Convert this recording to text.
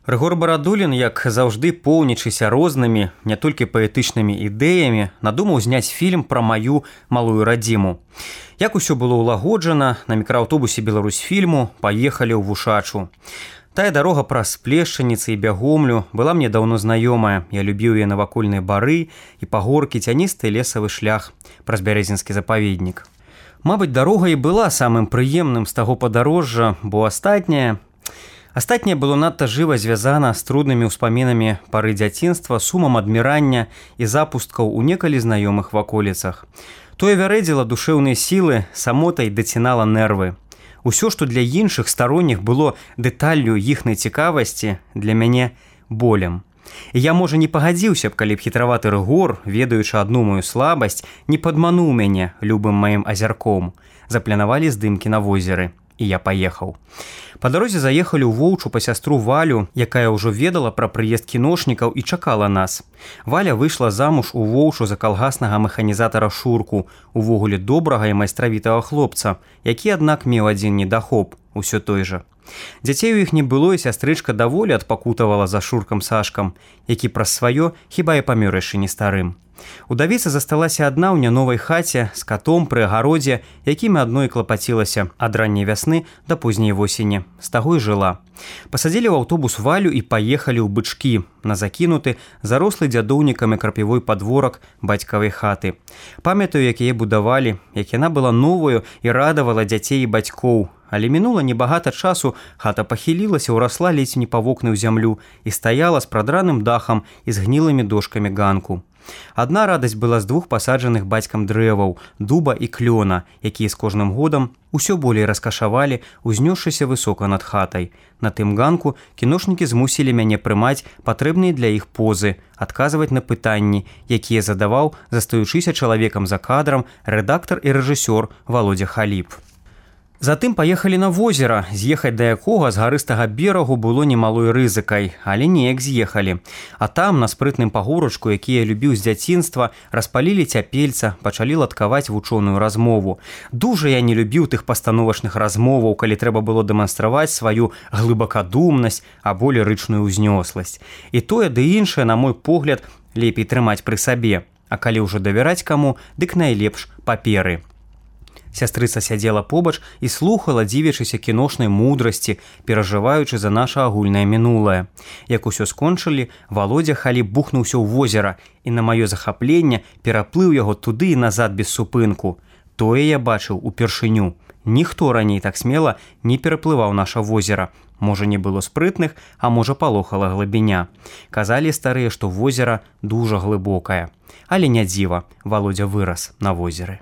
Рыгор Барадулін, як заўжды поўнічыся рознымі, не толькі паэтычнымі ідэямі, надумаў зняць фільм пра маю малую радзіму. Як усё было ўлагоджана, на мікрааўтобусе «Беларусьфільму» паехалі ў Вушачу. Тая дарога праз Плешчаніцы і Бягомлю была мне даўно знаёмая. Я любіў яе навакольныя бары і пагоркі, цяністы лесавы шлях праз Бярэзінскі запаведнік. Мабыць, дарога і была самым прыемным з таго падарожжа, бо Астатняе было надта жыва звязана з труднымі ўспамінамі пары дзяцінства, сумам адмірання і запусткаў у некалі знаёмых ваколіцах. Тое вярэдзіла душэўныя сілы, самотай дацінала нервы. Усё, што для іншых старонніх было дэталлю іхнай цікавасці, для мяне болем. І я, можа, не пагадзіўся б, калі б хітраваты Рыгор, ведаючы адну мою слабасць, не падмануў мяне любым маім азярком. Запланавалі здымкі на возеры. І я паехаў. Па дарозе заехалі ў Воўчу па сястру Валю, якая ўжо ведала пра прыезд кіношнікаў і чакала нас. Валя выйшла замуж у Воўчу за калгаснага механізатара Шурку, увогуле добрага і майстравітага хлопца, які, аднак, меў адзін недахоп, усё той жа. Дзяцей у іх не было, і сястрычка даволі адпакутавала за Шуркам Сашкам, які праз сваё хіба і памёр яшчэ не старым. Удавіца засталася адна ў няновай хаце з катом пры агародзе, якімі адной клапацілася ад ранняй вясны да позняй восені. З таго і жыла. Пасадзілі ў аўтобус Валю і паехалі ў Бычкі, на закінуты, зарослы дзядоўнікамі крапівой падворак бацькавай хаты. Памятаю, як яе будавалі, як яна была новаю і радавала дзяцей і бацькоў. Але мінула небагата часу, хата пахілілася, урасла ледзь не па вокны ў зямлю і стаяла з прадраным дахам і з гнілымі дошкамі ганку. Адна радасць была з двух пасаджаных бацькам дрэваў, дуба і клёна, якія з кожным годам усё болей раскашавалі, узнёсшыся высока над хатай. На тым ганку кіношнікі змусілі мяне прымаць патрэбныя для іх позы, адказваць на пытанні, якія задаваў, застаючыся чалавекам за кадрам, рэдактар і рэжысёр Володя Халіп. Затым паехалі на возера, з'ехаць да якога з гарыстага берагу было немалой рызыкай, але неяк з'ехалі. А там, на спрытным пагорачку, які я любіў з дзяцінства, распалілі цяпельца, пачалі ладкаваць вучоную размову. Дужа я не любіў тых пастановачных размоваў, калі трэба было дэманстраваць сваю глыбакадумнасць або лірычную ўзнёсласць. І тое ды іншае, на мой погляд, лепей трымаць пры сабе. А калі ўжо давяраць каму, дык найлепш паперы. Сястрыца сядзела побач і слухала, дзівячыся кіношнай мудрасці, перажываючы за наша агульнае мінулае. Як усё скончылі, Володя Халіп бухнуўся ў возера і на маё захапленне пераплыў яго туды і назад без супынку. Тое я бачыў упершыню. Ніхто раней так смела не пераплываў наша возера. Можа, не было спрытных, а можа, палохала глыбіня. Казалі старыя, што возера дужа глыбокае. Але не дзіва, Володя вырас на возеры.